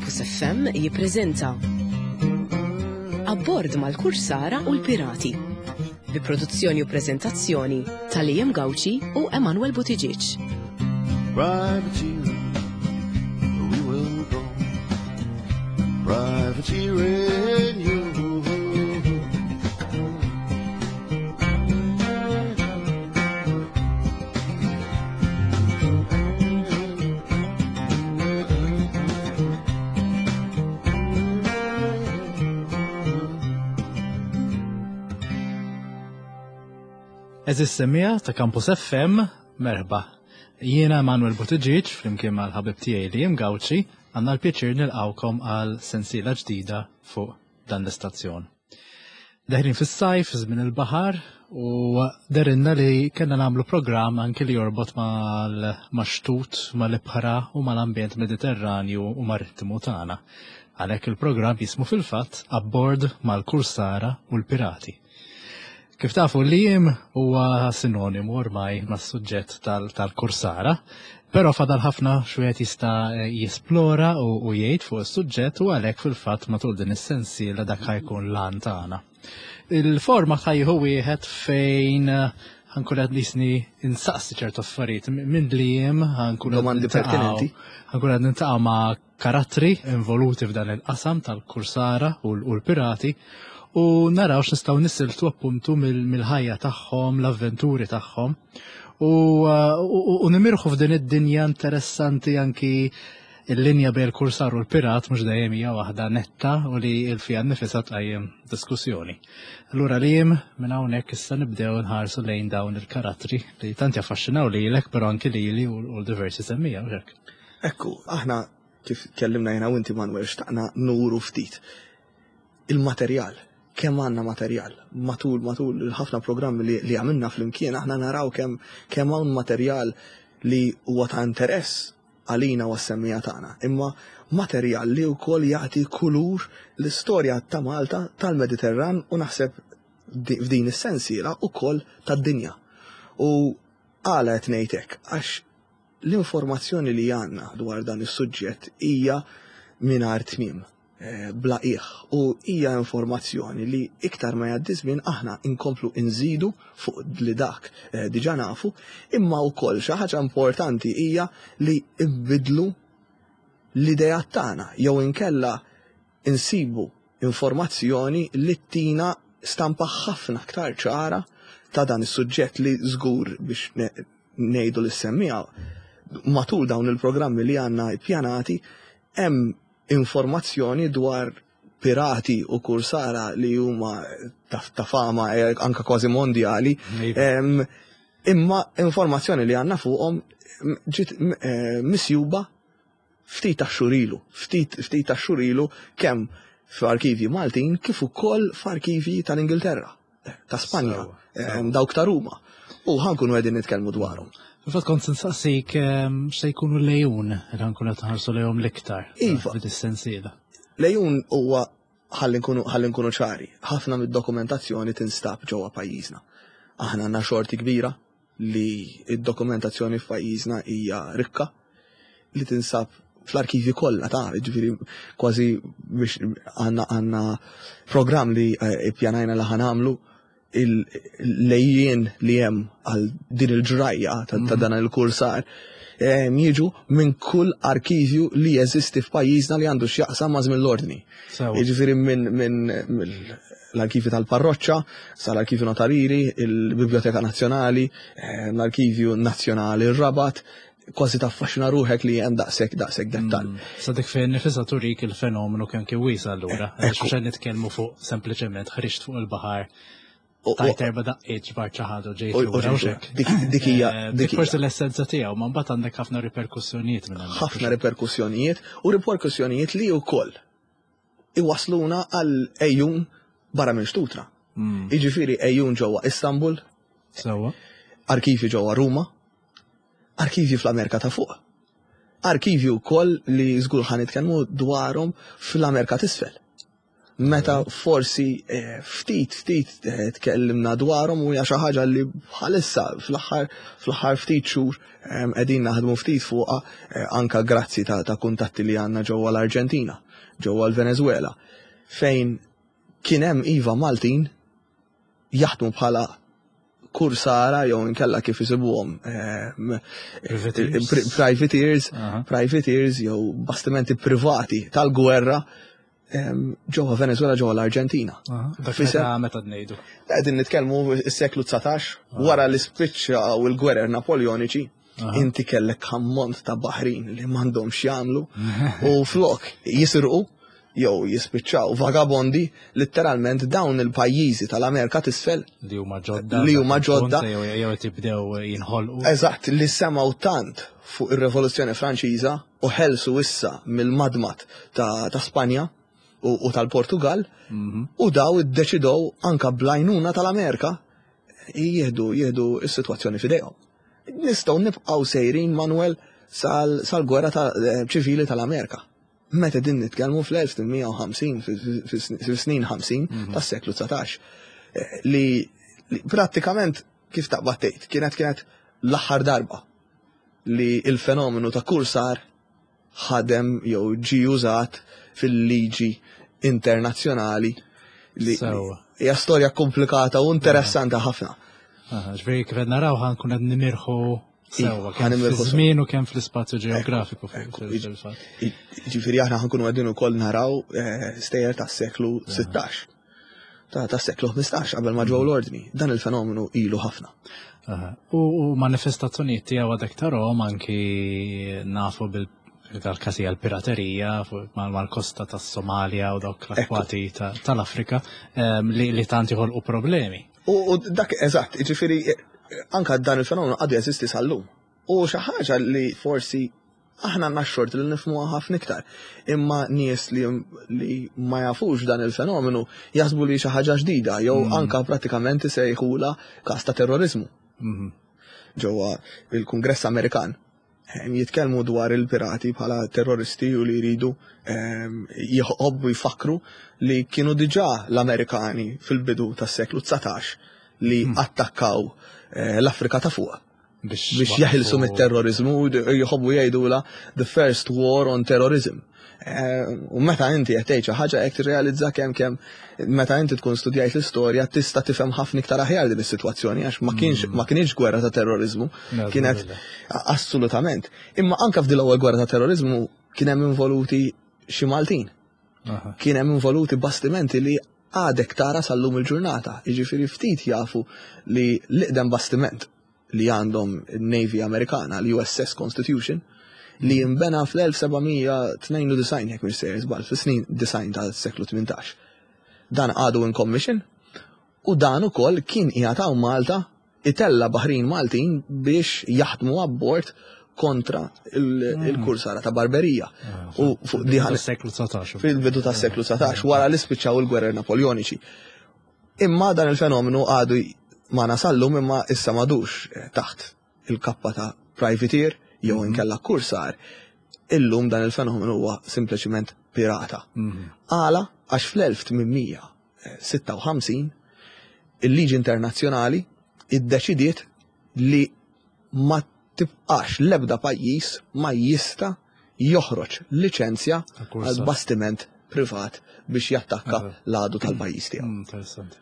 Campus FM jippreżenta Abbord mal-Kursara u l-Pirati bi produzzjoni u preżentazzjoni ta' Liam Gauci u Emanuel Buttigieg. Privateering, we will go. Privateering, you. Eżis semija ta' Campus FM, merħba. Jiena Emanuel Buttigieg, flimkien mal-ħabib tiegħi li jim Gawċi, għandna l-pjaċir nilqawkom għal sensiela ġdida fuq dan l-istazzjon. Deħlin fis-sajf, żmien il-baħar, u derinna li kellna nagħmlu programm anki li jorbot mal-xtut, mal-ibħra u mal-ambjent Mediterranju u marittimu tagħna. Għalhekk il-programm jismu fil-fatt Abbord mal-Kursara u l-Pirati. Kif tafu l-jiem huwa sinonimu ormai mas-suġġett tal-kursara, però fadal ħafna x'wieħed jista' jisplora u jgħid fuq is-suġġett u għalhekk fil-fatt matul din is-sensiela dak ħajkun l-għan tagħna. Il-format ħajjieħu wieħed fejn ħankun qed nisni insaqsi ċertu affarijiet minn li jiem ħankun Domandi pertinenti. Ħankun qed niltaqgħu ma' karattri involuti f'dan il-qasam tal-kursara u l-pirati u naraw x'nistgħu nisiltu appuntu mill-ħajja tagħhom, l-avventuri tagħhom u nimirħu f'din id-dinja interessanti anki il-linja bejn il-kursar u l-pirat mhux dejjem hija waħda netta u li l-fija nnifisha tqajjem diskussjoni. Allura li jiem minn hawnhekk issa nibdew nħarsu lejn dawn il-karattri li tant jaffaxxinaw lilek però anki lili u l-diversi semmija u hekk. Ekku, aħna kif tkellimna jiena u inti Manuel xtaqna nuru ftit il-materjal, kemm għandna materjal. Matul matul il-ħafna programmi li, li għamilna flimkien aħna naraw kemm kemm hawn materjal li huwa ta' interess għalina u għas-semmiegħa tagħna, imma materjal li wkoll jagħti kulur l-istorja ta' Malta, tal-Mediterran u naħseb f'din is-sensiela wkoll tad-dinja. U għala qed ngħid hekk? Għax l-informazzjoni li għandna dwar dan is-suġġett hija mingħajr tmiem. Eh, bla qiegħ u hija informazzjoni li iktar ma jgħaddi żmien aħna inkomplu inżidu fuq li dak eh, diġà nafu, imma wkoll xi ħaġa importanti hija li nbidlu l-idea tagħna jew inkella insibu informazzjoni li tina stampa ħafna aktar ċara ta' dan is-suġġett li żgur biex ngħidu lis-semmiegħa matul dawn il-programmi li għandna ppjanati hemm informazzjoni dwar pirati u kursara li huma ta' fama eh, anka kważi mondjali. Iva. Imma informazzjoni li għandna fuqhom ġiet eh, misjuba ftit ta' xurilu, ftit ftit ta' xurilu kemm f'arkivji Maltin kif ukoll f'arkivji tal-Ingilterra. ta' Spanja, dawk ta' Ruma. U ħankunu qegħdin nitkellmu dwarhom. Fil-fatt kont nsaqsik x'se jkunu l-lejun li ħankunu qed nħarsu lejhom l-iktar. Iva. Fid-sensiela. Lejun huwa ħalli nkunu ċari, ħafna mid-dokumentazzjoni tinstab ġewwa pajjiżna. Aħna għandna xorti kbira li d-dokumentazzjoni f'pajjiżna hija rikka li tinsab fl-arkivji kollha ta' ġifieri kważi biex għandna għandna programm li eh, ippjanajna li ħanamlu il-lejjien li hemm għal din il-ġrajja ta' mhm. dan il-kursar eh, jiġu minn kull arkivju li jeżisti f'pajjiżna li għandu x'jaqsam ma' żmien l-ordni. Jiġifieri minn min, l-arkivju tal-parroċċa, sal-arkivju notarili, il-Biblioteka Nazzjonali, eh, l-Arkivju Nazzjonali r-Rabat, kważi taffaxxina ruħek li hemm daqshekk daqshekk dettall. Mm. Sa dik fejn nifisha turik il-fenomenu kemm kien wiesa allura. Għax mhux nitkellmu fuq sempliċement ħriġt fuq il-baħar Tajt erba daqqiet ġbar ċaħadu ġejt lura u xek. Dik hija. Eh, dik forsi l-essenza tiegħu, ma mbagħad għandek ħafna riperkussjonijiet minn hemm. Ħafna riperkussjonijiet u riperkussjonijiet li wkoll iwasluna għal ejjun barra minn xtutna. Mm. Jiġifieri ejjun ġewwa Istanbul, Sewwa. Arkivji ġewwa Ruma, arkivji fl-Amerika ta' fuq. Arkivji wkoll li żgur ħa nitkellmu dwarhom fl-Amerika t'isfel. Meta forsi eh, ftit ftit eh, tkellimna dwarhom u hija xi ħaġa li bħalissa fl-aħħar fl-aħħar ftit xhur eh, qegħdin naħdmu ftit fuqha anka grazzi ta', ta kuntatti li għandna ġewwa l-Arġentina, ġewwa l-Venezuela, fejn kien hemm iva Maltin jaħdmu bħala kursara jew inkella kif isibuhom privateers, privateers jew bastimenti privati tal-gwerra ġewwa Venezuela ġewwa l-Arġentina. Dak meta meta ngħidu. Qegħdin nitkellmu s-seklu 19 wara li spiċċaw il-gwerer Napoleoniċi, inti kellek ammont ta' baħrin li m'għandhomx jagħmlu u flok jisirqu jew jispiċċaw vagabondi, litteralment dawn il-pajjiżi tal-Amerika t'isfel li huma ġodda li huma ġodda jew qed jibdew jinħolqu. Eżatt, li semgħu tant fuq ir-Rivoluzzjoni Franċiża u ħelsu issa mill-madmad ta', ta Spanja u, u tal-Portugal mm -hmm. u daw iddeċidew anka bl-għajnuna tal-Amerika jieħdu jieħdu s-sitwazzjoni f'idejhom. Nistgħu nibqgħu sejrin Manuel sal-gwerra sal ċivili tal-Amerika. Meta din nitkellmu fl-1850, fis-snin 50 mhm. tas-seklu 19. Eh, li prattikament kif taqbad tgħid, kienet kienet l-aħħar darba li il-fenomenu ta' kursar ħadem jew ġi użat fil-liġi internazzjonali li hija storja komplikata u interessanti ħafna. Ġifieri kif qed naraw ħankun qed nimirħu Sewwa, kemm fiż-żmien u kemm fl-ispazju ġeografiku fil-fatt. Ġifieri aħna ħankunu qegħdin ukoll naraw eh, stejjer tas-seklu 16. Ta' seklu 15 qabel ma ġew mhm. l-ordni. Dan il-fenomenu ilu ħafna. U manifestazzjonijiet tiegħu għadek tarahom anki nafu bil dal-każi għal-piraterija mal-kosta tas-Somalia u dawk l-akwati tal-Afrika ehm, li tant joħolqu problemi. U dak eżatt, ġifieri anka dan il-fenomenu għadu jeżisti sal-lum. U xi ħaġa li forsi aħna għandna xort li nifhmuha ħafna iktar. Imma nies li, li ma jafux dan il-fenomenu jaħsbu li xi ħaġa ġdida jew mm. anka pratikament isejħula każ ta' terrorizmu. Mm-hmm. Ġewwa il-Kungress Amerikan jitkellmu dwar il-pirati bħala terroristi u li jridu jħobbu jfakru li kienu diġà l-Amerikani fil-bidu tas-seklu 19 li hmm. attakkaw eh, l-Afrika ta' fuq biex jaħilsu mit-terrorizmu jħobbu jgħidula the first war on terrorism. Eh, u meta inti qed tgħid xi ħaġa hekk tirrealizza kemm kemm meta inti tkun studjajt l-istorja tista' tifhem ħafna iktar aħjar din is-sitwazzjoni għax ma kienx mm. ma kienx gwerra ta' terrorizmu, kienet assolutament. Imma anke f'din l-ewwel gwerra ta' terrorizmu kien hemm involuti xi Maltin. Kien hemm involuti bastimenti li għadek tara sal-lum il-ġurnata. Jiġifieri ftit jafu li l-iqdem bastiment li għandhom il-Navy Amerikana, l-USS Constitution, li jimbena fl-1792 jekk mhux sejjer żball, fis-snin design tas-seklu 18. Dan għadu in commission u dan ukoll kien qiegħed hawn Malta itella baħrin Maltin biex jaħdmu abbord kontra il-kursara ta' Barberija. Ah, u fuq diħan seklu 19. Fil-bidu tas seklu 19, wara li spiċċaw il-gwerer Napoljoniċi. Imma dan il-fenomenu għadu ma nasallum imma issa madux eh, taħt il-kappa ta' privateer jew mhm. inkella kursar. Illum dan il-fenomenu huwa sempliċiment pirata. Mhm. Għala għax fl-1856 il-liġi internazzjonali iddeċidiet li ma tibqax l-ebda pajjiż ma jista' joħroġ liċenzja għal bastiment privat biex jattakka l-għadu tal-pajjiż tiegħu. Mm, interessanti.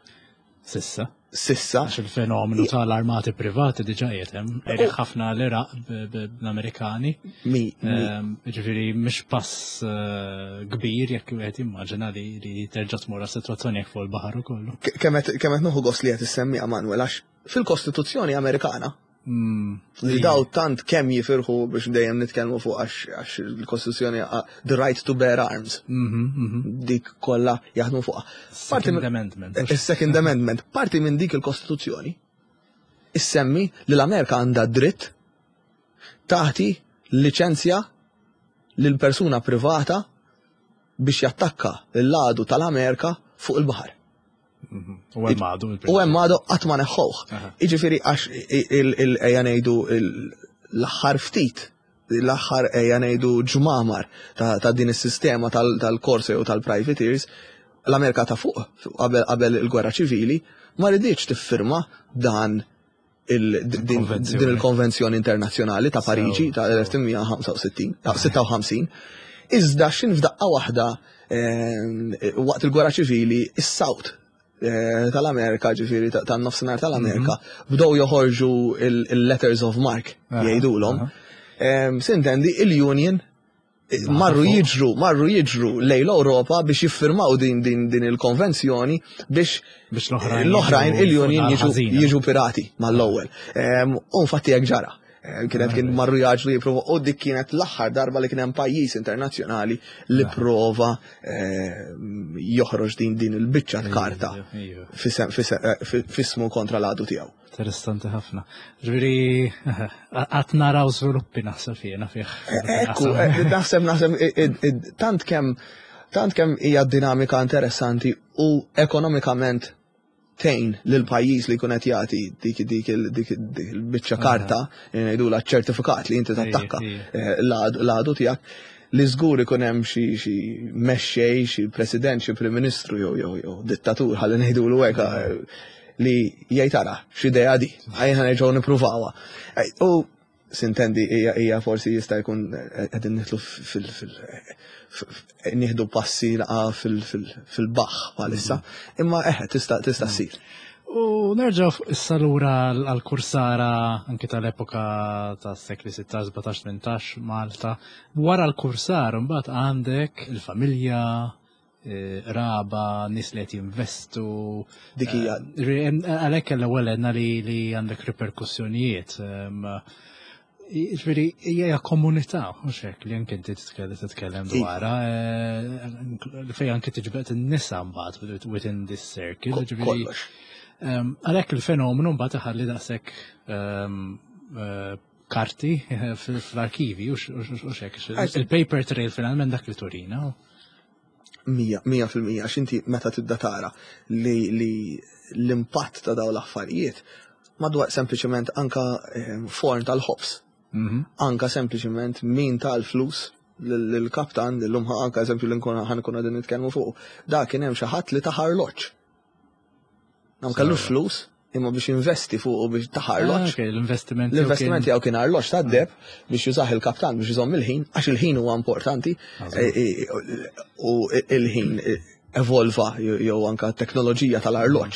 Sissa. Sissa. Għax il-fenomenu tal-armati privati diġa qiegħed hemm, ħafna l-Iraq bl-Amerikani. Ehm, ġifieri mhix pass eh, kbir jekk wieħed jimmaġina li terġa' tmur għas-sitwazzjoni jekk fuq il-baħar ukoll. Kemm qed nieħu gost li qed issemmi Manuel għax fil-Kostituzzjoni Amerikana Mm. Li daw tant kemm jifirħu biex dejjem nitkellmu fuq għax il-Kostituzzjoni the right to bear arms. Mhm, mhm. Dik kollha jaħdmu fuqha. Second Amendment. Eh, Second Amendment. Parti minn dik il-Kostituzzjoni issemmi li l-Amerika għandha dritt taħti liċenzja lil persuna privata biex jattakka l-għadu tal-Amerika fuq il-baħar. U hemm għadu. U hemm għadu qatt ma neħħuh. Jiġifieri għax ejja ngħidu l-aħħar ftit l-aħħar ejja ngħidu ġmamar ta' din is-sistema tal-corsa jew tal-privateers. L-Amerika ta' fuq qabel il-gwerra ċivili ma riditx tiffirma dan din il-konvenzjoni internazzjonali ta' Pariġi ta' 1865, Iżda xin f'daqqa waħda waqt il-gwerra ċivili is-South tal-Amerika, ġifieri tan-nofsinhar tal-Amerika, bdew joħorġu il-letters of marque jgħidulhom. Sintendi il-Union marru jiġru, marru jiġru lejn l-Ewropa biex jiffirmaw din din din il-konvenzjoni biex l-oħrajn il-Union jiġu pirati mal-ewwel. U infatti hekk ġara. Kienet kien marru jaġlu jipprova u dik kienet l-aħħar darba li kien hemm pajjiż internazzjonali li prova joħroġ din din il-biċċa karta fismu kontra l-għadu tiegħu. Interessanti ħafna. Ġifieri qatt naraw żviluppi naħseb jiena fih. Ekku, naħseb naħseb tant kemm tant kemm hija dinamika interessanti u ekonomikament tgħin lil pajjiż li jkun qed jagħti dik dik dik il-biċċa karta ngħidulha ċertifikat li inti tattakka l-għadu tiegħek li żgur ikun hemm xi xi mexxej, xi president, xi prim ministru jew jew jew dittatur ħalli ngħidulu hekk li jgħid ara x'idea di, ħajja nerġgħu nippruvawha. U sintendi hija forsi jista' jkun qegħdin nidħlu fil nieħdu passi laqa fil-baħħ bħalissa, imma eħe tista' tista' ssir. U nerġgħu issa lura għall-kursara anki tal-epoka tas-sekli 16, 17, 18 Malta. Wara l-kursara mbagħad għandek il-familja, raba, nies li qed jinvestu. Dik hija. Għalhekk l-ewwel għedna li għandek riperkussjonijiet. Ġifieri hija komunità, mhux hekk li anke inti titkellem dwarha, fejn anke tiġbed in-nisa mbagħad within this circle. Ġifieri għalhekk il-fenomenu mbagħad iħalli daqshekk karti fl-arkivi u xek. Il-paper trail finalment dak li turina. 100% għax inti meta tibda tara li l-impatt ta' dawn l-affarijiet madwar sempliċement anka forn tal-ħobż. Anka sempliċement min tal-flus l-kaptan l-lum anka eżempju li nkun ħankun qegħdin nitkellmu fuq. Da kien hemm xi ħadd li ta arloġġ. Nam kellu flus imma biex investi fuq u biex ta arloġġ. L-investiment. L-investiment tiegħu kien arloġġ tad-deheb biex jużah il-kaptan biex iżomm il-ħin, għax il-ħin huwa importanti u il-ħin evolva jew anka teknoloġija tal-arloġġ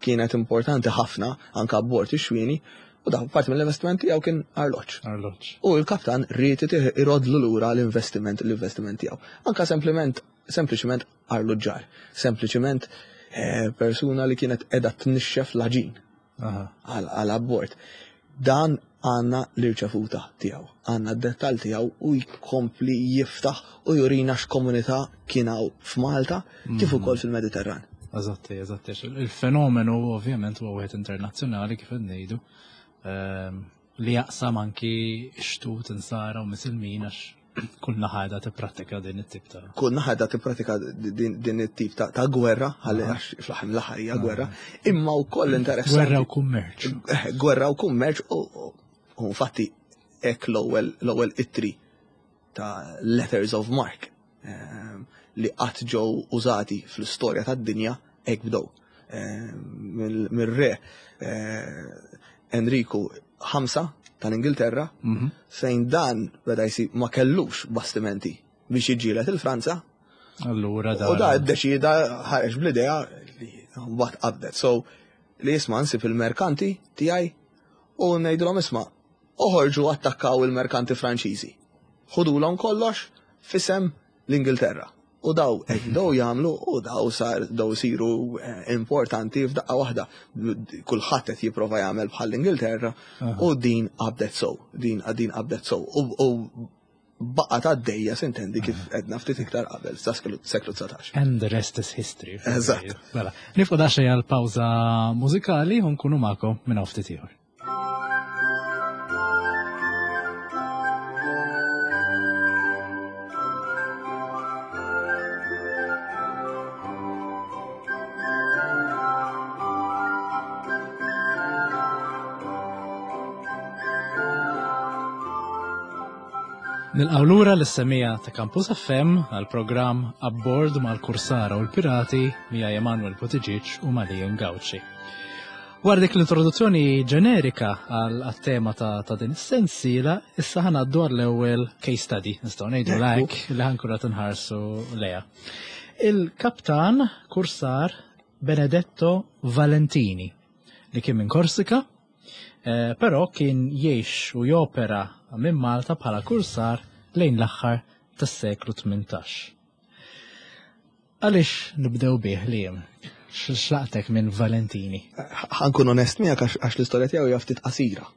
kienet importanti ħafna anka abbord ix-xwieni u da parti mill-investiment tiegħu kien arloġġ. Arloġġ. U l-kaptan ried irodlu lura l-investiment l-investiment tiegħu. Anka sempliment sempliċement arloġġar, sempliċement persuna li kienet qiegħda tnixxef l-għaġin għal abbord. Dan għandna l-irċevuta tiegħu, għandna d-dettall tiegħu u jkompli jiftaħ u jurina x'komunità kien hawn f'Malta kif ukoll fil-Mediterran. Eżatti, eżatti. Il-fenomenu ovvjament huwa wieħed internazzjonali kif qed ngħidu li jaqsam anki xtut insara u misilmin għax kull naħa qiegħda tipprattika din it-tip ta' Kull naħa qiegħda tipprattika din it-tip ta' gwerra, ħalli għax fl-aħħar mill-aħħar hija gwerra, imma wkoll interessanti. Gwerra u kummerċ. Gwerra u kummerċ u infatti hekk l-ewwel ittri ta' letters of marque li qatt ġew użati fl-istorja tad-dinja hekk bdew. Mir-re Enriku V tal-Ingilterra, fejn dan beda jsib ma kellux bastimenti biex jiġġieled il-Franza. Allura da. U da ddeċida ħareġ bl-idea li mbagħad qabdet. So li jisma' nsib il-merkanti tiegħi u ngħidulhom isma' oħorġu attakkaw il-merkanti Franċiżi. Ħudulhom kollox f'isem l-Ingilterra. U daw hekk bdew jagħmlu u daw sar daw isiru importanti f'daqqa waħda. Kulħadd qed jipprova jagħmel bħall-Ingilterra u din qabdet sow, din din qabdet sow. U baqgħet għaddejja sintendi kif għedna ftit iktar qabel sa seklu 19. And the rest is history. Eżatt. Mela, nieqfu daqsxejn għal pawża mużikali u nkunu magħkom minn hawn ftit ieħor. Nilqgħu lura lis-semija ta' Campus FM għal programm Abbord mal-Kursara u l-Pirati miegħi Emanuel Buttigieg u Malien Gauci. Wara dik l-introduzzjoni ġenerika għal tema ta', ta din is-sensiela, issa ħanaddu għall-ewwel case study, nistgħu ngħidu lek li ħankun qed inħarsu leha. Il-kaptan kursar Benedetto Valentini li kien minn Korsika, eh, però kien jgħix u jopera minn Malta bħala kursar lejn l-aħħar tas-seklu 18. Għaliex nibdew bih li jem? X'laqtek minn Valentini? Ħankun onest miegħek għax l-istorja tiegħu hija ftit qasira.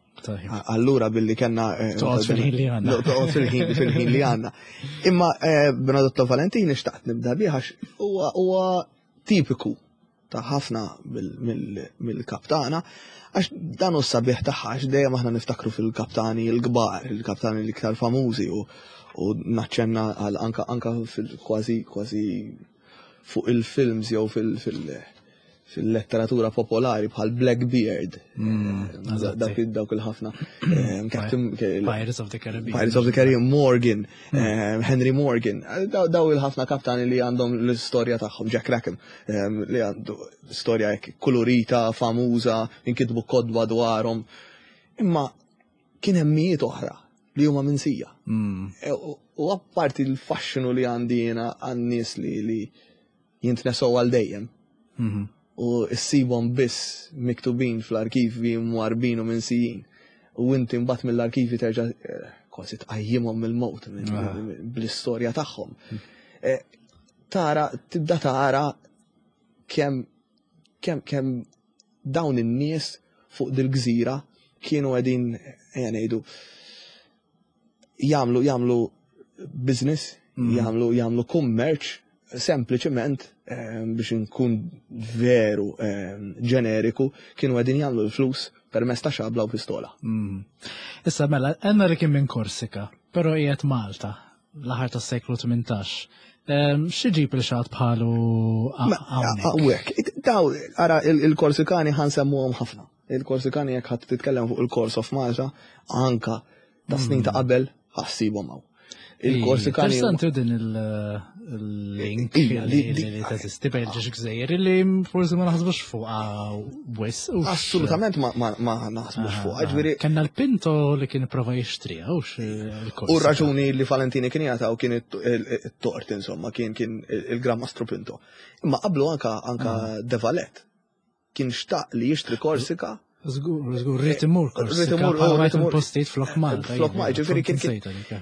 Allura billi kellna eh, Toqgħod fil-ħin li għandna. Toqgħod fil-ħin fil-ħin li għandna. Imma eh, Benedetto Valentini xtaqt nibda bih għax huwa tipiku ta' ħafna mill-kaptana, għax dan hu sabiħ tagħha għax dejjem aħna niftakru fil-kaptani l-kbar, il-kaptani l-iktar famużi u u naċċenna għal anka anka fil-kważi kważi fuq il-films jew fil-, fil fil-letteratura popolari bħal Blackbeard. Mm, dawk il-ħafna. Eh, Pirates of the Caribbean. Pirates of the Caribbean, Morgan, mm. eh, Henry Morgan. Eh, daw il-ħafna kaptani li għandhom l-istorja tagħhom, Jack Rackham, li għandu storja hekk kulurita, famuża, inkitbu kodba dwarhom. Imma kien hemm mijiet oħra li huma minsija. Mm. U apparti l-faxxinu li għandi jiena għan-nies li jintnesew għal dejjem. Mhm. U issibhom biss miktubin fl-arkivi mwarbin u minsijin. U inti mbagħad mill-arkivi terġa' eh, kważi tqajjimhom mill-mowt ah. bl-istorja tagħhom. Mm. Eh, tara, tibda tara kemm kemm kemm dawn in-nies fuq dil-gżira kienu qegħdin ejja ngħidu jagħmlu jagħmlu business, mm. jagħmlu jagħmlu kummerċ sempliċement eh, biex nkun veru eh, ġeneriku kienu qegħdin jagħmlu l-flus permezz ta' xabla u pistola. Mm. Issa mela, għandna li kien minn Korsika, però qiegħed Malta l-aħħar tas-seklu 18. Ehm, xi ġib il xatt bħalu hawnhekk? Daw, ara il-Korsikani ħansemmuhom ħafna. Il-Korsikani jekk ħadd titkellem fuq il-Course of Malta, anka ta' snin ta' mm. qabel ħassibhom hawn. Il-Korsikani. Interessanti din il-link li teżisti bejn ġiex gżejjer li forsi ma naħsbux fuqha wis. Assolutament ma naħsbux fuqha. Ġifieri. Kenna l-Pinto li kien prova jixtri hux il-Korsika. U raġuni li Valentini kien jagħtaw kien it-tort insomma, kien kien il-Gran Mastru Pinto. Imma qablu anka anka ah. De Valet kien xtaq li jixtri Korsika. Żgur, żgur, rrid imur Korsika. Rrid imur, rrid imur postijiet flok Malta. Flok Malta, ġifieri kien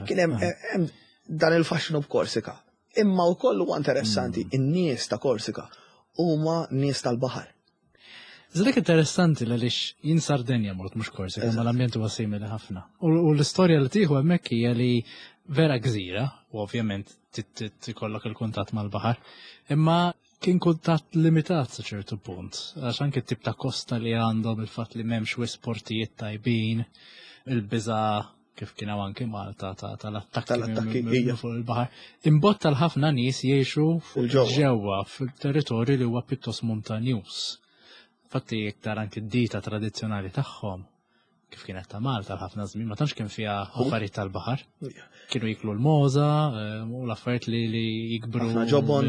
kien hemm ah. dan il-faxxinu b'Korsika. Imma wkoll huwa interessanti, mm. in-nies ta' Korsika huma nies tal-baħar. Zrek interessanti l għaliex jien Sardenja mort mhux Korsika, ma l-ambjent huwa simili ħafna. U l-istorja li tieħu hemmhekk hija li vera gżira, u ovvjament tikollok il-kuntatt mal-baħar, imma Kien kuntatt limitat sa ċertu punt, għax anke t-tip ta' kosta li għandhom il-fatt li m'hemmx wisq portijiet tajbin, il-biża kif kien hawn anke Malta tal-attakki fuq il-baħar. Imbotta l-ħafna nies jgħixu ġewwa fil-territorju li huwa pjuttost montanjuż. Fatti iktar anke d-dita tradizzjonali tagħhom kif kienet ta' Malta l-ħafna żmien, ma tantx kien fiha affarijiet tal-baħar. Kienu jiklu l-moza eh, u l-affarijiet li, li jikbru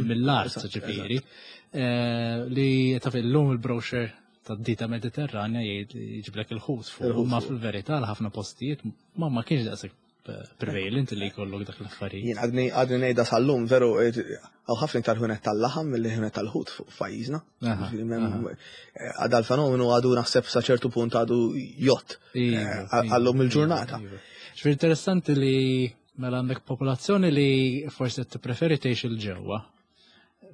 mill-art, ġifieri. Eh, li taf illum il-brochure ta' dita Mediterranja jgħid jġiblek il-ħut fuq, ma fil-verità l-ħafna postijiet ma ma kienx daqshekk prevalent li jkollok dak l-affarijiet. Jien għadni għadni ngħidha sal-lum veru hawn ħafna iktar ħunet tal-laħam milli ħunet tal-ħut fuq pajjiżna. Għadha l-fenomenu għadu naħseb sa ċertu punt għadu jott eh, għallum il-ġurnata. Iva. Ġifieri interessanti li mela għandek popolazzjoni li forsi tippreferi tgħix il-ġewwa.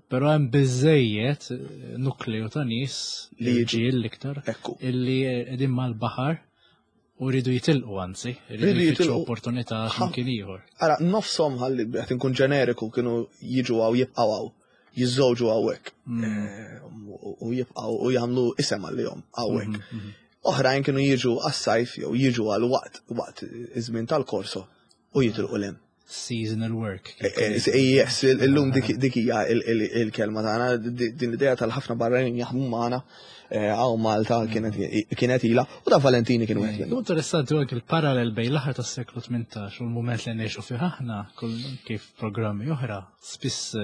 Però hemm biżejjed nukleu ta' nies li ġiel l-iktar illi qegħdin mal-baħar U rridu jitilqu anzi, rridu jitilqu opportunità x'imkien ieħor. Ara, nofshom ħalli qed inkun ġeneriku kienu jiġu hawn jibqgħu hawn, jiżżewġu hawnhekk. Mm. Eh, u jibqgħu u jagħmlu isem għalihom hawnhekk. Mm, mm, Oħrajn kienu jiġu għas-sajf jew jiġu għal waqt waqt iż-żmien tal-korso u jitilqu l Seasonal work. Eh, eh, yes, illum dik hija il-kelma tagħna, din l-idea tal-ħafna barranin jaħdmu magħna eh, hawn Malta kienet ila u da Valentini kien wieħed minnhom. Interessanti anke il-parallel bejn l-aħħar tas-seklu 18 u l-mument li ngħixu fih aħna kif programmi oħra spiss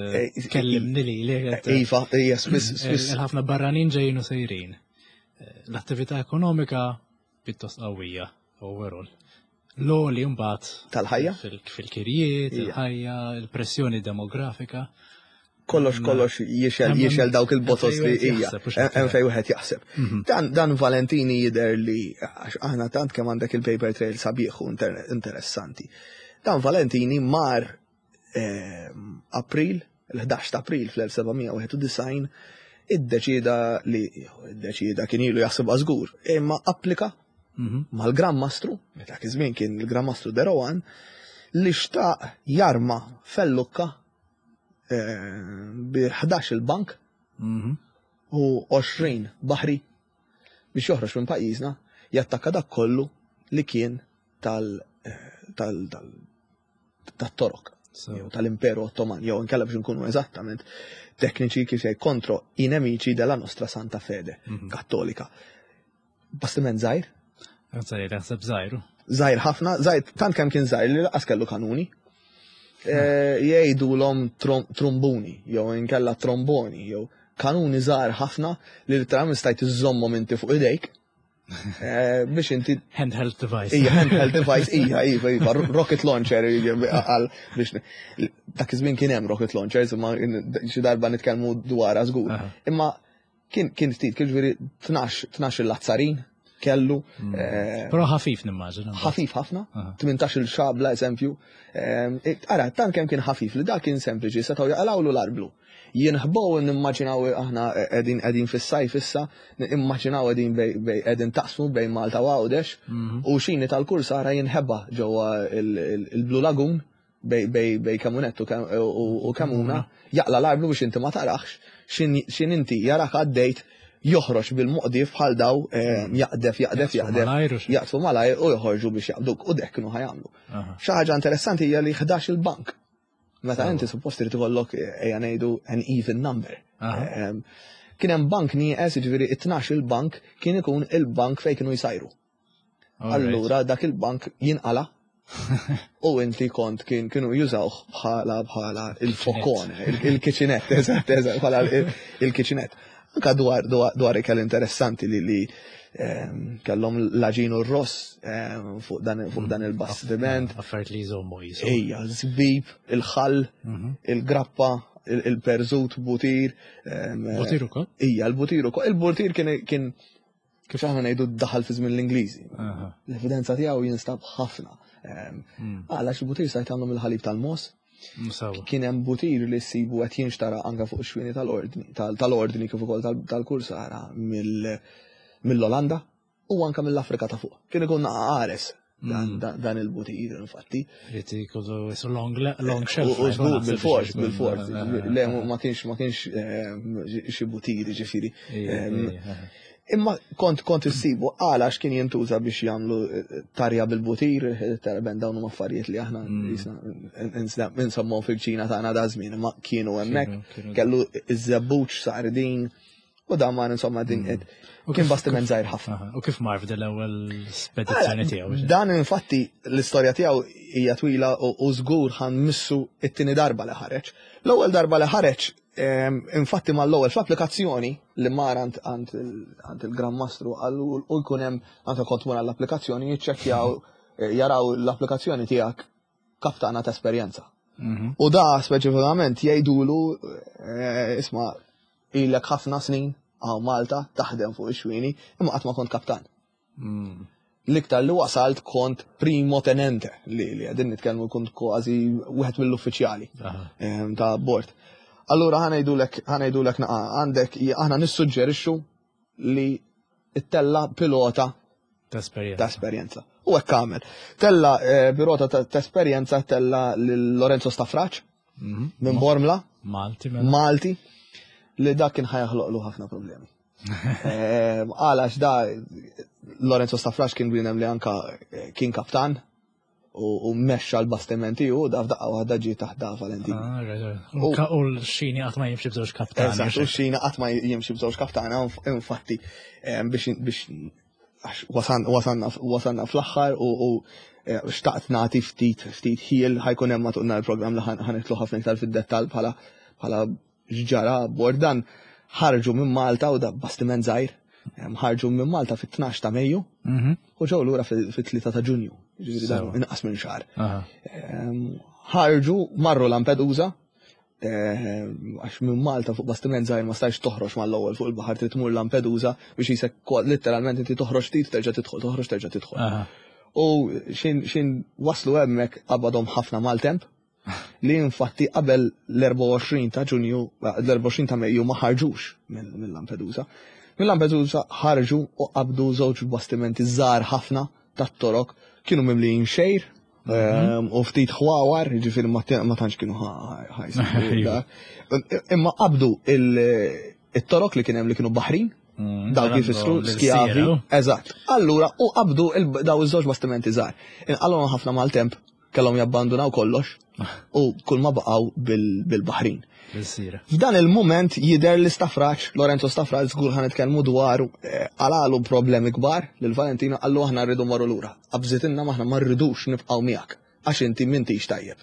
kellimni li li. Iva, hija spiss spiss. Il-ħafna barranin ġejjin u sejrin. L-attività ekonomika pjuttost qawwija overall. L-għoli mbagħad tal-ħajja fil-kirjiet, il-ħajja, il-pressjoni demografika. Kollox kollox jixel jixel dawk il-botos li hija hemm fejn wieħed jaħseb. Mhm. Dan dan Valentini jidher li għax aħna tant kemm għandek il-paper trail sabiħ u interessanti. Dan Valentini mar ehm, April, il-11 ta' April fl-1791 iddeċida li iddeċida kien ilu jaħsibha żgur, imma applika mhm. mal-Gran Mastru, meta iż-żmien kien il-Gran Mastru Derowan, li xtaq jarma fellukka eh, bi 11 il-bank mhm. u 20 baħri biex joħroġ minn pajjiżna jattakka dak kollu li kien tal eh, tal tal tat-Torok jew tal-Imperu Ottoman jew inkella biex nkunu eżattament tekniċi kif jgħid kontro i nemici della nostra Santa Fede mhm. Kattolika. Bastiment żgħir? Żgħir, jaħseb żgħir. Żgħir ħafna, żgħir tant kemm kien żgħir li laqas kellu kanuni. Eh, jgħidulhom trombuni jew inkella tromboni jew kanuni żgħar ħafna li literalment stajt iżżommhom inti fuq idejk Eh, biex inti. Handheld device. Ija, handheld device, ija, iva, iva, rocket launcher, għal biex. Dak iż-żmien kien hemm rocket launchers, imma xi darba nitkellmu dwarha żgur. Imma kien kien ftit, kien ġifieri 12 il-lazzarin kellu. Mm. Eh, Però ħafif nimmaġina. Ħafif ħafna, 18 il-xabla eżempju. Eh, ara, tant kemm kien ħafif li dak kien sempliċi, setgħu jaqalgħulu l-arblu. Jinħbow nimmaġinaw aħna qegħdin qegħdin fis-sajf issa, immaġinaw qegħdin bej qegħdin taqsmu bejn Malta u Għawdex mhm. u xini tal-kursara jinħeba ġewwa il-Blue Lagoon bej Kamunett u Kamuna mhm. jaqla l-arblu biex inti ma tarax xin inti jarak għaddejt joħroġ bil-moqdif bħal daw eh, mhm. jaqdef, jaqdef, jaqdef, jaqtfu malajr u joħorġu biex jaqduk u dek kienu ħajamlu. Xi ħaġa interessanti hija li 11 il-bank Meta inti suppost irid ikollok ejja ngħidu an even number. Kien hemm bank nieqes, jiġifieri it-tnax il-bank kien ikun il-bank fejn kienu jsajru. Allura dak il-bank jinqala u inti kont kien kienu jużawh bħala bħala il-fokone, il-kitchenette, eżatt, eżatt, bħala il-kitchenette. Anka dwar dwar ikel interessanti li li ehm, kellhom l-aġin u r-ross ehm, fuq dan fuq dan il-bastiment. Affarijiet li jżommu jisu. Ejja, żbib, il-ħall, mhm. il-grappa, il-perżut, butir. Ehm, butir ukoll? Ija, l-butir ukoll. Il-butir kien kien kif aħna ngħidu daħal fi żmien l-Ingliżi. L-evidenza tiegħu jinstab ħafna. Ehm, hmm. Għala xi butir stajt tagħmlu mill-ħalib tal-mos. Kien hemm butir li ssibu qed jinxtara anke fuq ix-xwieni tal-ordni tal-ordni kif ukoll tal-kursara mill-Olanda u anke mill-Afrika ta' fuq. Kien ikun qares Hmm. Dan il-butir, infatti. Rrid ikollu long, long shelf. U żgur bil-fors, bil-fors. Le, ma kienx, ma kienx eh, xi butir, ġifieri. Eh, imma kont kont issibu għala x'kien jintuża biex jagħmlu eh, tarja bil-butir, tarben dawn huma affarijiet li aħna mm. insemmu fil-ċina tagħna da żmien, imma kienu hemmhekk kellu iż-żebbuġ sardin U dan mar insomma din mm. kien bastiment żgħir ħafna. U kif mar f'din l-ewwel spedizzjoni tiegħu? Dan infatti l-istorja tiegħu hija twila u żgur ħan missu it-tieni darba li ħareġ. L-ewwel darba li ħareġ ehm, infatti mal-ewwel fl-applikazzjoni li mar għand il-Gran Mastru u jkun hemm anke kont mur għall-applikazzjoni jiċċekkjaw eh, jaraw l-applikazzjoni tiegħek kaptana ta' esperjenza. Mhm. U da speċifikament jgħidulu eh, isma' ilek ħafna snin għaw Malta taħdem fuq ix-xwini imma qatt ma kont kaptan. Mm. L-iktar li wasalt kont primo tenente li li għedin nitkellmu kont kważi wieħed mill-uffiċjali ta' bord. Allura ħanajdulek ħanajdulek naqa' għandek aħna nissuġġerixxu li ttella pilota ta' esperjenza. Ta' esperjenza. U hekk għamel. Tella eh, pilota ta' esperjenza tella lil Lorenzo Stafraċ mhm. minn Bormla. Malti. Mela. Malti li dak kien ħajħloqlu ħafna problemi. Eh, għalax da Lorenzo Stafraċ kien bienem li anka eh, kien kaptan. u mexxa l-bastiment tiegħu da f'daqqa waħda ġie taħt da Valentini. Ah, u l-xini qatt ma jimxi b'żewġ kaptana. Eżatt, u x-xini qatt ma jimxi b'żewġ kaptana, infatti biex għax wasanna fl-aħħar u eh, xtaqt nagħti ftit ftit ħiel ħajkun hemm matul nhar il-programm li ħanitlu ħafna iktar fid-dettall bħala bħala x'ġara abbord dan ħarġu minn Malta u da bastiment żgħir ħarġu minn Malta fit-12 ta' Mejju mhm. u ġew lura fit-3 ta' Ġunju, ġifieri dan inqas minn xahar. Ħarġu marru Lampedusa għax minn Malta fuq bastiment żgħir ma stajx toħroġ mal-ewwel fuq il-baħar trid tmur Lampedusa biex jisek letteralment inti toħroġ ftit terġa' tidħol, toħroġ terġa' tidħol. U xin waslu hemmhekk qabadhom ħafna maltemp li infatti qabel l-24 ta' Ġunju, l-24 ta' Mejju ma ħarġux minn Lampedusa. Minn Lampedusa ħarġu u qabdu żewġ bastimenti żgħar ħafna tat-Torok kienu mimlijin xejr mhm. u ftit ħwawar, ġifieri ma tantx kienu ħajs. Imma qabdu il-Torok li kien hemm li kienu baħrin, mm, dawk jfissru skjavi. Eżatt. Allura u qabdu daw iż-żewġ bastimenti żgħar. Inqalhom ħafna maltemp kellhom jabbandunaw kollox u kull ma baqgħu bil-Baħrin. F'dan il-mument jidher li Stafraċ, Lorenzo Stafraċ żgur ħa nitkellmu dwaru, eh, għalalu problemi kbar lil Valentino qallu aħna rridu marru lura. Qabżitilna maħna ma rridux nibqgħu miegħek għax inti m'intix tajjeb.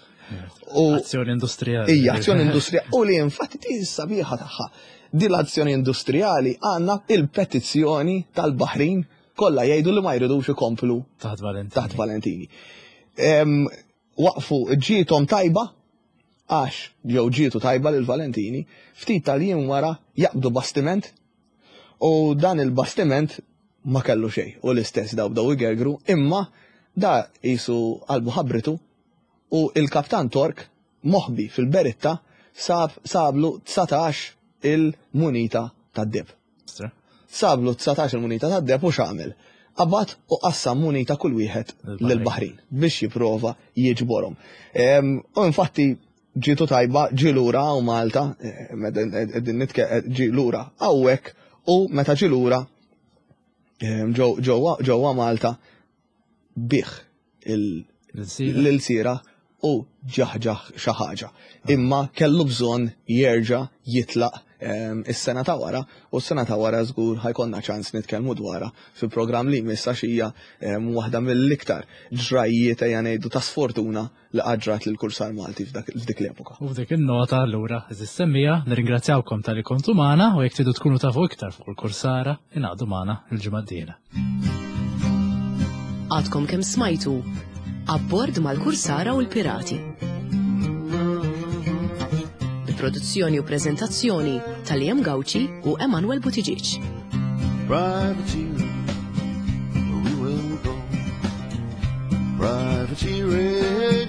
U azzjoni industrijali. Ija, azzjoni industrijali. U li infatti ti sabiħa tagħha. Din l-azzjoni industrijali għandna il-petizzjoni tal-Baħrin kollha jgħidu li ma jridux ikomplu taħt Valentini. Taħt Valentini. Waqfu ġietom tajba għax jew ġietu tajba lil Valentini, ftit tal-jiem wara jaqbdu bastiment u dan il-bastiment ma kellu xejn u l-istess daw bdew igergru imma da jisu qalbu ħabritu u il-kaptan Tork moħbi fil-beritta sab sablu 19 il-munita tad-deheb. Sablu 19 il-munita tad-deheb u x'għamel? Qabad u qassam munita kull wieħed lill-Baħrin biex jipprova jiġborhom. U infatti ġietu tajba ġie lura hawn Malta, qegħdin ġie lura hawnhekk u meta ġie lura ġewwa Malta bih l-ilsira u ġaħġaħ xi ħaġa. Imma kellu bżonn jerġa' jitlaq ehm, is-sena ta' wara u s-sena ta' wara żgur ħajkonna ċans nitkellmu dwarha fi programm li jmiss għax hija ehm, waħda mill-iktar ġrajjiet ejja ngħidu ta' sfortuna li qatt ġrat lil kursar Malti f'dik l-epoka. U f'dik in-nota allura, eżis semmija, nirringrazzjawkom talli kontu magħna u jekk tridu tkunu tafu iktar fuq il-kursara, ingħaqdu magħna l-ġimgħa d-dieħla. Għadkom kemm smajtu Abbord mal-Kursara u l-Pirati. Bi produzzjoni u preżentazzjoni ta' Liam Gauci u Emanuel Buttigieg. Privateer, we will go. Privateering.